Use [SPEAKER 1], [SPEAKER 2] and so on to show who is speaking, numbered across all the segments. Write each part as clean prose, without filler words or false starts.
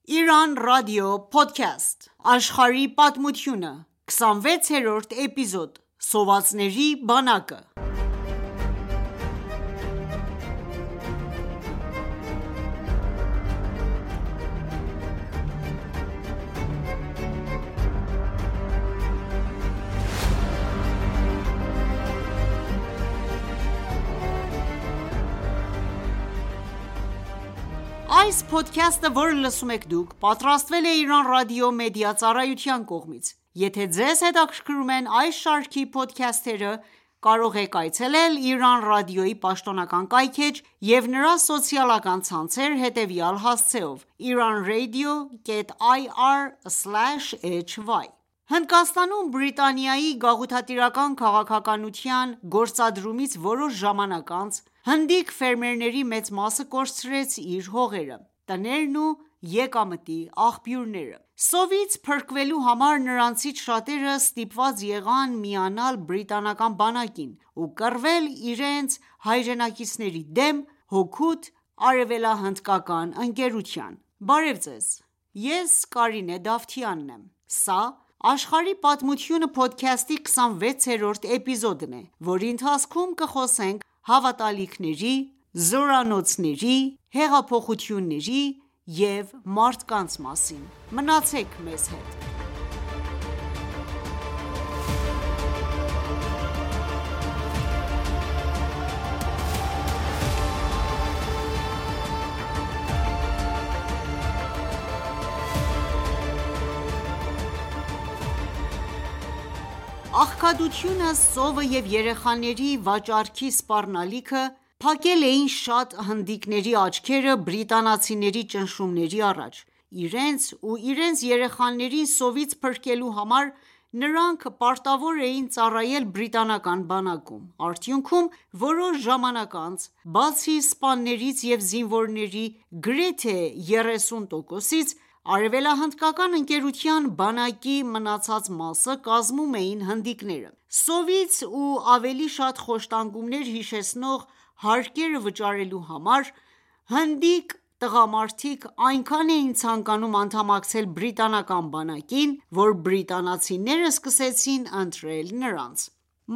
[SPEAKER 1] Iran Radio Podcast Աշխարհի պատմությունը 26-րդ էպիզոդ Սովածների բանակը Այս փոդքասթը, որը լսում եք դուք, պատրաստվել է Iran Radio Media ծառայության կողմից։ Եթե ձեզ հետաքրքրում են այս շարքի փոդքասթերը, կարող եք այցելել Iran Radio-ի պաշտոնական կայքէջ և նրա սոցիալական ցանցեր հետևյալ հասցեով՝ iranradio.ir/hy Հնդկաստանում Բրիտանիայի գաղութատիրական քաղաքականության գործադրումից որոշ ժամանակ անց, հնդիկ ֆերմերների մեծ մասը կորցրեց իր հողերը, տներն ու եկամտի աղբյուրները։ Սովից փրկվելու համար նրանցից շատերը ստիպված եղան միանալ բրիտանական բանակին ու կռվել իրենց հայրենակիցների դեմ հօգուտ արևելահնդկական ընկերության։ Բարև ձեզ, ես Կարինե Դավթյանն եմ։ Սա «Աշխարհի պատմությունը» փոդքասթի 26-րդ էպիզոդն է, որի ընթացքում կխոսենք հավատալիքների, զորանոցների, հեղափոխությունների և մարդկանց մասին։ Մնացեք մեզ հետ։ Աղքատությունը, սովը և երեխաների վաճառքի սպառնալիքը փակել էին շատ հնդիկների աչքերը բրիտանացիների ճնշումների առաջ։ Իրենց ու իրենց երեխաներին սովից փրկելու համար նրանք պարտավոր էին ծառայել բրիտանական բանակում։ Արդյունքում, որոշ ժամանակ անց, բացի սպաներից և զինվորների գրեթե 30%-ից, արևելահնդկական ընկերության բանակի մնացած մասը կազմում էին հնդիկները։ Սովից ու ավելի շատ խոշտանգումներ հիշեցնող հարկերը վճարելու համար, հնդիկ տղամարդիկ այնքան էին ցանկանում անդամակցել բրիտանական բանակին, որ բրիտանացիները սկսեցին ընտրել նրանց։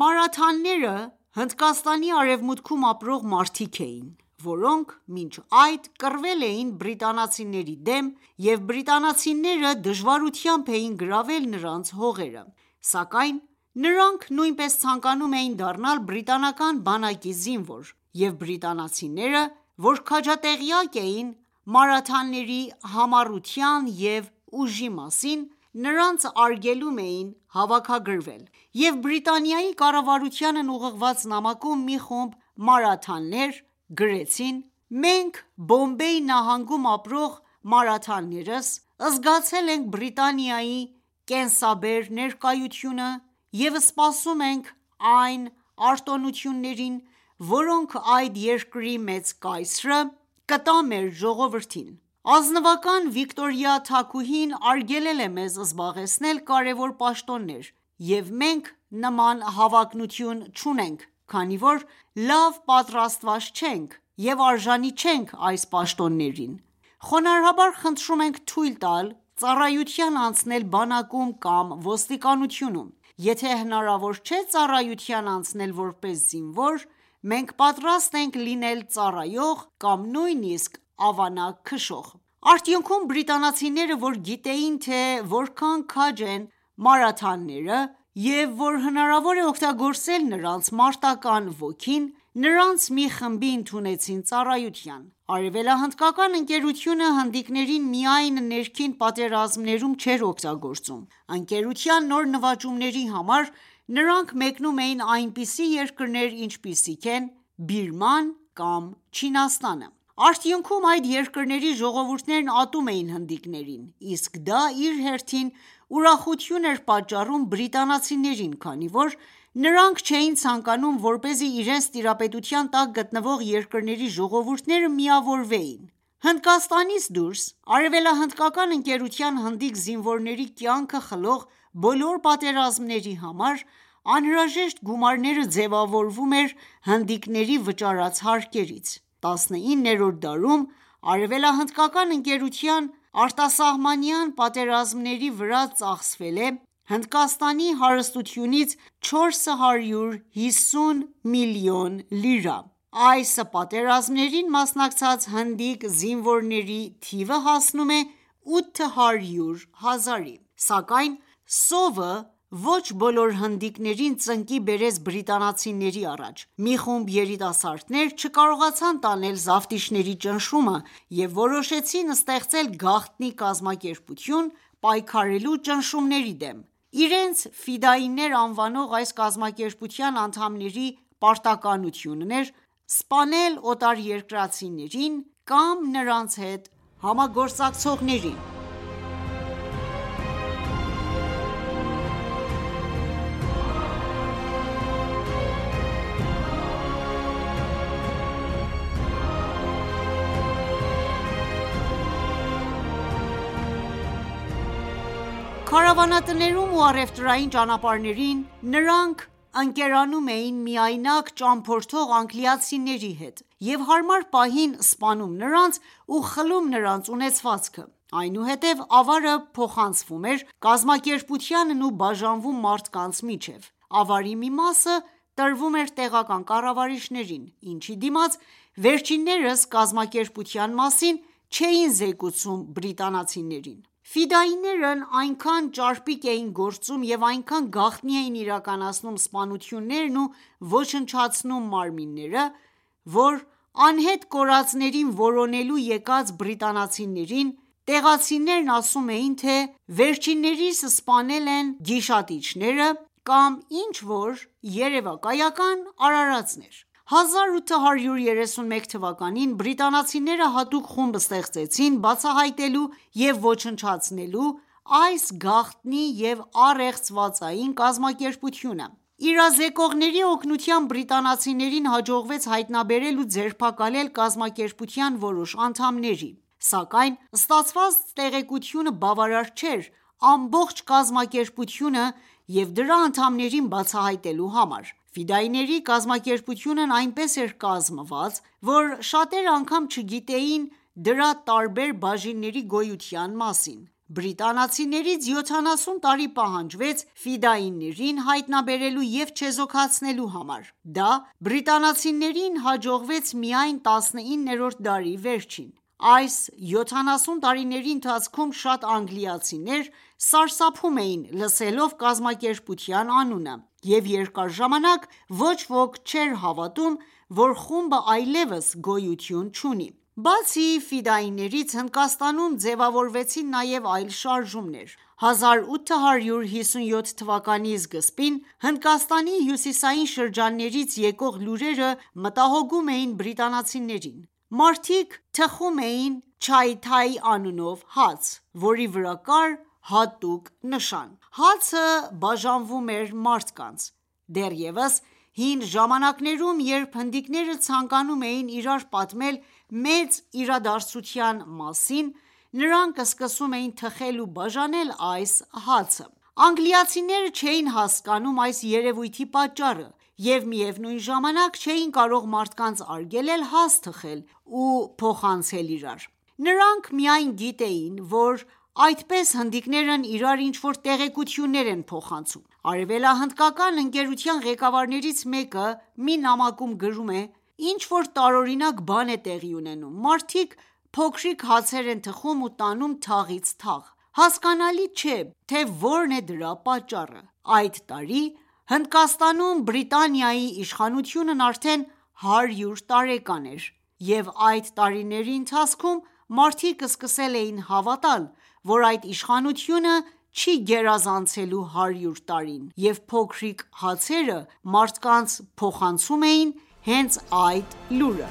[SPEAKER 1] Մարաթհանները Հնդկաստանի արևմուտքում ապրող մարդիկ էին, որոնք մինչ այդ կռվել էին բրիտանացիների դեմ և բրիտանացիները դժվարությամբ էին գրավել նրանց հողերը, սակայն նրանք նույնպես ցանկանում էին դառնալ բրիտանական բանակի զինվոր, և բրիտանացիները, որ քաջատեղյակ էին մարաթհաների համառության և ուժի մասին, նրանց արգելում էին հավաքագրվել, և Բրիտանիայի կառավարությանն ուղղված նամակում մի խումբ մարաթհաներ գրեցին.«Մենք Բոմբեյ նահանգում ապրող մարաթհաներս զգացել ենք Բրիտանիայի կենսաբեր ներկայությունը և սպասում ենք այն արտոնություններին, որոնք այդ երկրի մեծ կայսրը կտա մեր ժողովրդին: Ազնվական Վիկտորիա թագուհին արգելել է մեզ զբաղեցնել կարևոր պաշտոններ, և մենք նման հավակնություն չունենք, քանի որ լավ պատրաստված չենք և արժանի չենք այս պաշտոններին: Խոնարհաբար խնդրում ենք թույլ տալ ծառայության անցնել բանակում կամ ոստիկանությունում: Եթե հնարավոր չէ ծառայության անցնել որպես զինվոր, մենք պատրաստ ենք լինել ծառայող կամ նույնիսկ ավանակ քշող»: Արդյունքում բրիտանացիները, որ գիտեին, թե որքան քաջ են մարաթհաները և որ հնարավոր է օգտագործել նրանց մարտական ոգին, նրանց մի խմբի ընդունեցին ծառայության: Արևելահնդկական ընկերությունը հնդիկներին միայն ներքին պատերազմներում չէր օգտագործում: Ընկերության նոր նվաճումների համար նրանք մեկնում էին այնպիսի երկրներ, ինչպիսիք են Բիրման կամ Չինաստանը: Արդյունքում այդ երկրների ժողովուրդներն ատում էին հնդիկներին, իսկ դա իր հերթին ուրախություն էր պատճառում բրիտանացիներին, քանի որ նրանք չէին ցանկանում, որպեսզի իրենց տիրապետության տակ գտնվող երկրների ժողովուրդները միավորվեին: Հնդկաստանից դուրս, արևելահնդկական ընկերության հնդիկ զինվորների կյանքը խլող բոլոր պատերազմների համար անհրաժեշտ գումարները ձևավորվում էր հնդիկների վճարած հարկերից: 19-րդ դարում արևելահնդկական ընկերության արտասահմանյան պատերազմների վրա ծախսվել է Հնդկաստանի հարստությունից 450 միլիոն լիրա: Այս պատերազմներին մասնակցած հնդիկ զինվորների թիվը հասնում է 800 հազարի: Սակայն սովը ոչ բոլոր հնդիկներին ծնկի բերեց բրիտանացիների առաջ: Մի խումբ երիտասարդներ չկարողացան տանել զավթիչների ճնշումը և որոշեցին ստեղծել գաղտնի կազմակերպություն՝ պայքարելու ճնշումների դեմ: Իրենց «ֆիդայիններ» անվանող այս կազմակերպության անդամների պարտականությունն էր սպանել օտարերկրացիներին կամ նրանց հետ համագործակցողներին: Քարավանատներում ու առևտրային ճանապարհներին նրանք ընկերանում էին միայնակ ճամփորդող անգլիացիների հետ և հարմար պահին սպանում նրանց ու խլում նրանց ունեցվածքը: Այնուհետև ավարը փոխանցվում էր կազմակերպությանն ու բաժանվում մարդկանց միջև: Ավարի մի մասը տրվում էր տեղական կառավարիչներին, ինչի դիմաց վերջիններս կազմակերպության մասին չէին զեկուցում բրիտանացիներին: Ֆիդայիներն այնքան ճարպիկ էին գործում և այնքան գաղտնի էին իրականացնում սպանություններն ու ոչնչացնում մարմինները, որ անհետ կորածներին որոնելու եկած բրիտանացիներին տեղացիներն ասում էին, թե վերջիններիս սպանել են գիշատիչները կամ ինչ որ երևակայական արարածներ: 1831 թվականին բրիտանացիները հատուկ խումբ ստեղծեցին բացահայտելու և ոչնչացնելու այս գաղտնի և առեղծվածային կազմակերպությունը: Իրազեկողների օգնությամբ բրիտանացիներին հաջողվեց հայտնաբերել ու ձերբակալել կազմակերպության որոշ անդամների: Սակայն ստացված տեղեկությունը բավարար չէր ամբողջ կազմակերպությունը և դրա անդամներին բացահայտելու համար: Ֆիդայիների կազմակերպությունն այնպես էր կազմված, որ շատերը անգամ չգիտեին դրա տարբեր բաժինների գոյության մասին: Բրիտանացիներից 70 տարի պահանջվեց ֆիդայիներին հայտնաբերելու և չեզոքացնելու համար: Դա բրիտանացիներին հաջողվեց միայն 19-րդ դարի վերջին: Այս 70 տարիների ընթացքում շատ անգլիացիներ սարսափում էին լսելով կազմակերպության անունը և երկար ժամանակ ոչ ոք չէր հավատում, որ խումբը այլևս գոյություն չունի: Բացի ֆիդայիներից Հնդկաստանում ձևավորվեցին նաև այլ շարժումներ: 1857 թվականի սկզբին Հնդկաստանի հյուսիսային շրջաններից եկող լուրերը մտահոգում էին բրիտանացիներին: Մարդիկ թխում էին «Չայ-թայ» անունով հաց, որի վրա կար հատուկ նշան: Հացը բաժանվում էր մարդկանց: Դեռևս հին ժամանակներում, երբ հնդիկները ցանկանում էին իրար պատմել մեծ իրադարձության մասին, նրանք սկսում էին թխել ու բաժանել այս հացը: Անգլիացիները չէին հասկանում այս երևույթի պատճառը և միևնույն ժամանակ չէին կարող մարդկանց արգելել հաց թխել ու փոխանցել իրար: Նրանք միայն գիտեին, որ այդպես հնդիկներն իրար ինչ-որ տեղեկություններ են փոխանցում: Արևելահնդկական ընկերության ղեկավարներից մեկը մի նամակում գրում է. «Ինչ-որ տարօրինակ բան է տեղի ունենում: Մարդիկ փոքրիկ հացեր են թխում ու տանում թաղից թաղ: Հասկանալի չէ, թե որն է դրա պատճառը: Այդ տարի Հնդկաստանում Բրիտանիայի իշխանությունն արդեն 100 տարեկան էր և այդ տարիների ընթացքում մարդիկ սկսել էին հավատալ, որ այդ իշխանությունը չի գերազանցելու 100 տարին և փոքրիկ հացերը մարդկանց փոխանցում էին հենց այդ լուրը»: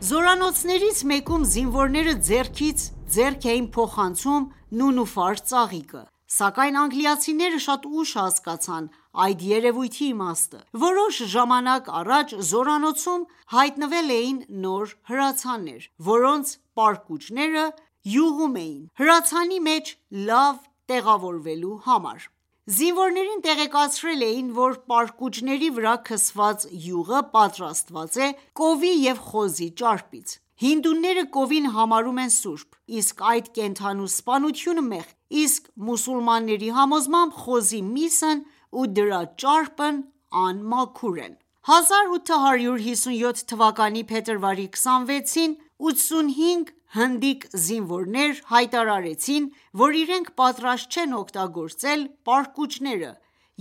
[SPEAKER 1] Զորանոցներից մեկում զինվորները ձեռքից ձեռք էին փոխանցում նունուֆար ծաղիկը: Սակայն անգլիացիները շատ ուշ հասկացան այդ երևույթի իմաստը։ Որոշ ժամանակ առաջ զորանոցում հայտնվել էին նոր հրացաններ, որոնց պարկուճները յուղում էին հրացանի մեջ լավ տեղավորվելու համար։ Զինվորներին տեղեկացրել էին, որ պարկուճների վրա քսված յուղը պատրաստված է կովի և խոզի ճարպից։ Հինդուները կովին համարում են սուրբ, իսկ այդ կենդանու սպանությունը մեղք, իսկ մուսուլմանների համոզմամբ խոզի միսն ու դրա ճարպն անմաքուր են։ 1857 թվականի փետրվարի 26-ին 85 հնդիկ զինվորներ հայտարարեցին, որ իրենք պատրաստ չեն օգտագործել պարկուճները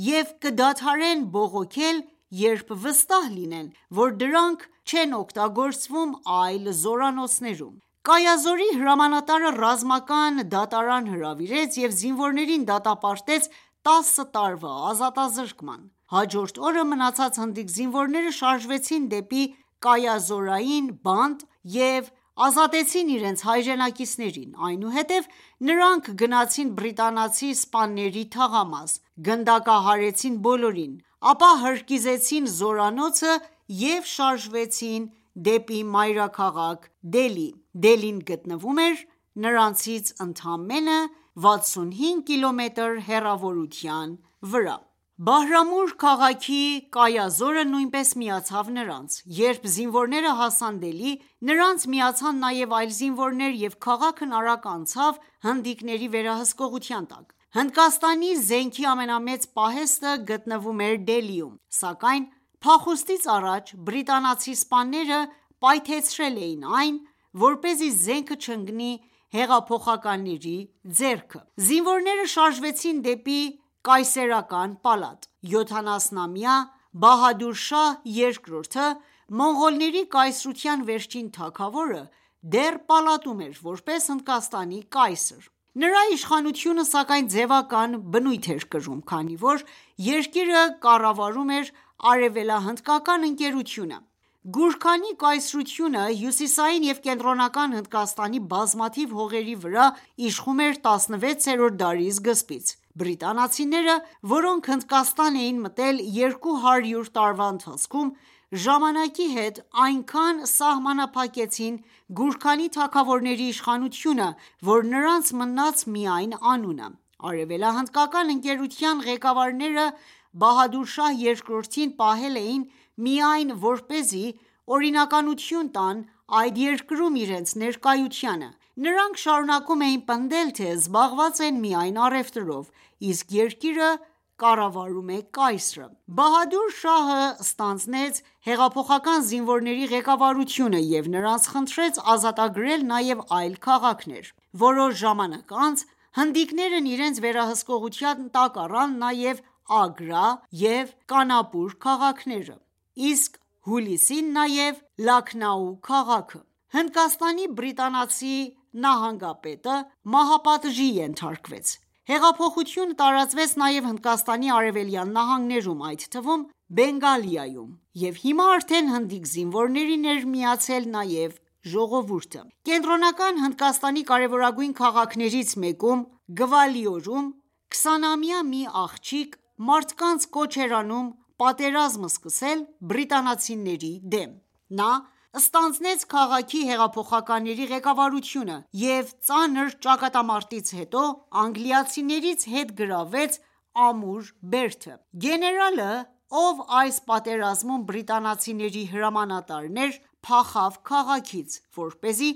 [SPEAKER 1] և կդադարեն բողոքել, երբ վստահ լինեն, որ դրանք չեն օգտագործվում այլ զորանոցներում։ Կայազորի հրամանատարը ռազմական դատարան հրավիրեց և զինվորներին դատապարտեց 10 տարվա ազատազրկման։ Հաջորդ օրը մնացած հնդիկ զինվորները շարժվեցին դեպի կայազորային բանտ և ազատեցին իրենց հայրենակիցներին, այնուհետև նրանք գնացին բրիտանացի սպաների թաղամաս, գնդակահարեցին բոլորին, ապա հրկիզեցին զորանոցը և շարժվեցին դեպի մայրաքաղաք Դելհի։ Դելհին գտնվում էր նրանցից ընդամենը 65 կիլոմետր հեռավորության վրա։ Բահրամուր քաղաքի կայազորը նույնպես միացավ նրանց։ Երբ զինվորները հասան Դելհի, նրանց միացան նաև այլ զինվորներ և քաղաքն արագ անցավ հնդիկների վերահսկողության տակ։ Հնդկաստանի զենքի ամենամեծ պահեստը գտնվում էր Դելհիում, սակայն փախուստից առաջ բրիտանացի սպաները պայթեցրել էին այն, որպեսզի զենքը չընկնի հեղափոխականների ձեռքը։ Զինվորները շարժվեցին դեպի կայսերական պալատ։ 70-ամյա Բահադուր շահ II, մոնղոլների կայսրության վերջին թագավորը, դեռ պալատում էր որպես Հնդկաստանի կայսր։ Նրա իշխանությունը, սակայն, ձևական բնույթ էր կրում, քանի որ երկիրը կառավարում էր Արևելահնդկական ընկերությունը։ Գուրքանի կայսրությունը հյուսիսային և կենտրոնական Հնդկաստանի բազմաթիվ հողերի վրա իշխում էր 16-րդ դարի սկզբից։ Բրիտանացիները, որոնք Հնդկաստան էին մտել 200 տարվա ընթացքում, ժամանակի հետ այնքան սահմանափակեցին Գուրքանի թագավորների իշխանությունը, որ նրանց մնաց միայն անունը։ Արևելահնդկական ընկերության ղեկավարները Բահադուր շահ II-ին պահել էին միայն որպեսզի օրինականություն տան այդ երկրում իրենց ներկայությանը։ Նրանք շարունակում էին պնդել, թե զբաղված են միայն առևտրով, իսկ երկիրը կառավարում է կայսրը։ Բահադուր շահը ստանձնեց հեղափոխական զինվորների ղեկավարությունը և նրանց խնդրեց ազատագրել նաև այլ քաղաքներ։ Որոշ ժամանակ անց հնդիկներն իրենց վերահսկողության տակ առան նաև Ագրա և Կանապուր քաղաքները, իսկ հուլիսին նաև Լաքնաու քաղաքը։ Հնդկաստանի բրիտանացի նահանգապետը մահապատժի ենթարկվեց։ Հեղափոխությունը տարածվեց նաև Հնդկաստանի արևելյան նահանգներում, այդ թվում Բենգալիայում, և հիմա արդեն հնդիկ զինվորներին էր միացել նաև ժողովուրդը։ Կենտրոնական Հնդկաստանի կարևորագույն քաղաքներից մեկում՝ Գվալիորում, 20-ամյա մի աղջիկ մարդկանց կոչ էր անում պատերազմ սկսել բրիտանացիների դեմ։ Նա ստանձնեց քաղաքի հեղափոխականների ղեկավարությունը և ծանր ճակատամարտից հետո անգլիացիներից հետ գրավեց Ամուր բերդը։ Գեներալը, ով այս պատերազմում բրիտանացիների հրամանատարն էր, փախավ քաղաքից, որպեսզի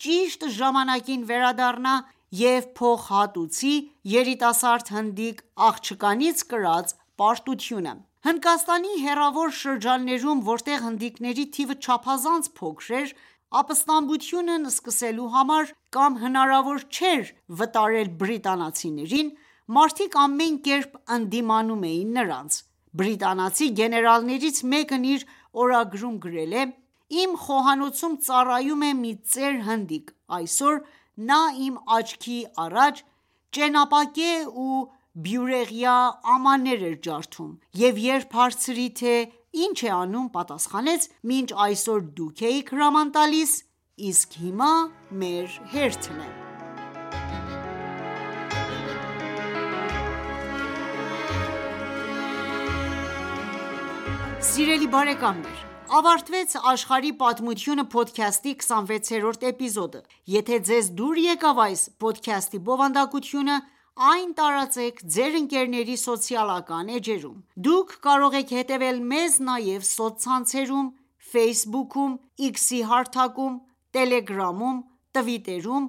[SPEAKER 1] ճիշտ ժամանակին վերադառնա և փոխհատուցի երիտասարդ հնդիկ աղջկանից կրած պարտությունը։ Հնդկաստանի հեռավոր շրջաններում, որտեղ հնդիկների թիվը չափազանց փոքր էր, ապստամբությունն սկսելու համար կամ հնարավոր չէր վտարել բրիտանացիներին, մարդիկ ամեն կերպ ընդդիմանում էին նրանց։ Բրիտանացի գեներալներից մեկն իր օրագրում գրել է.«Իմ խոհանոցում ծառայում է մի ծեր հնդիկ։ Այսօր նա իմ աչքի առաջ ճենապակե ու բյուրեղյա ամաններ էր ջարդում և երբ հարցրի, թե ինչ է անում, պատասխանեց. «Մինչ այսօր դուք էիք հրաման տալիս, իսկ հիմա մեր հերթն է»։ Սիրելի բարեկամներ, ավարտվեց «Աշխարհի պատմությունը» փոդքասթի 26-րդ էպիզոդը։ Եթե ձեզ դուր եկավ այս փոդքասթի բովանդակությունը, այն տարածեք ձեր ընկերների սոցիալական էջերում։ Դուք կարող եք հետևել մեզ նաև սոցցանցերում Facebook-ում, X-ի հարթակում, Telegram-ում, Twitter-ում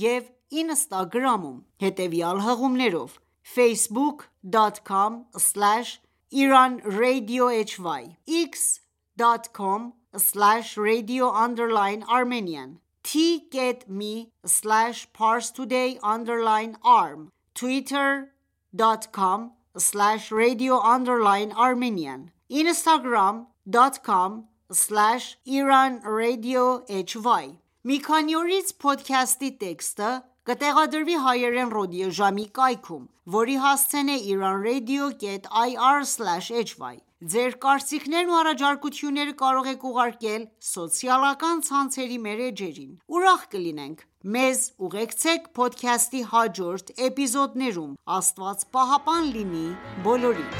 [SPEAKER 1] և Instagram-ում հետևյալ հղումներով՝ facebook.com/IranRadioHY, x.com/radio_Armenian, t.me/parstoday_arm, twitter.com/radio_Armenian, instagram.com/IranRadioHY։ Մի քանի օրից փոդքասթի տեքստը կտեղադրվի հայերեն ռադիոժամի կայքում, որի հասցեն է iranradio.ir/hy: Ձեր կարծիքներն ու առաջարկությունները կարող եք ուղարկել սոցիալական ցանցերի մեր էջերին։ Ուրախ կլինենք մեզ ուղեկցեք փոդքասթի հաջորդ էպիզոդներում: Աստված պահապան լինի բոլորիդ։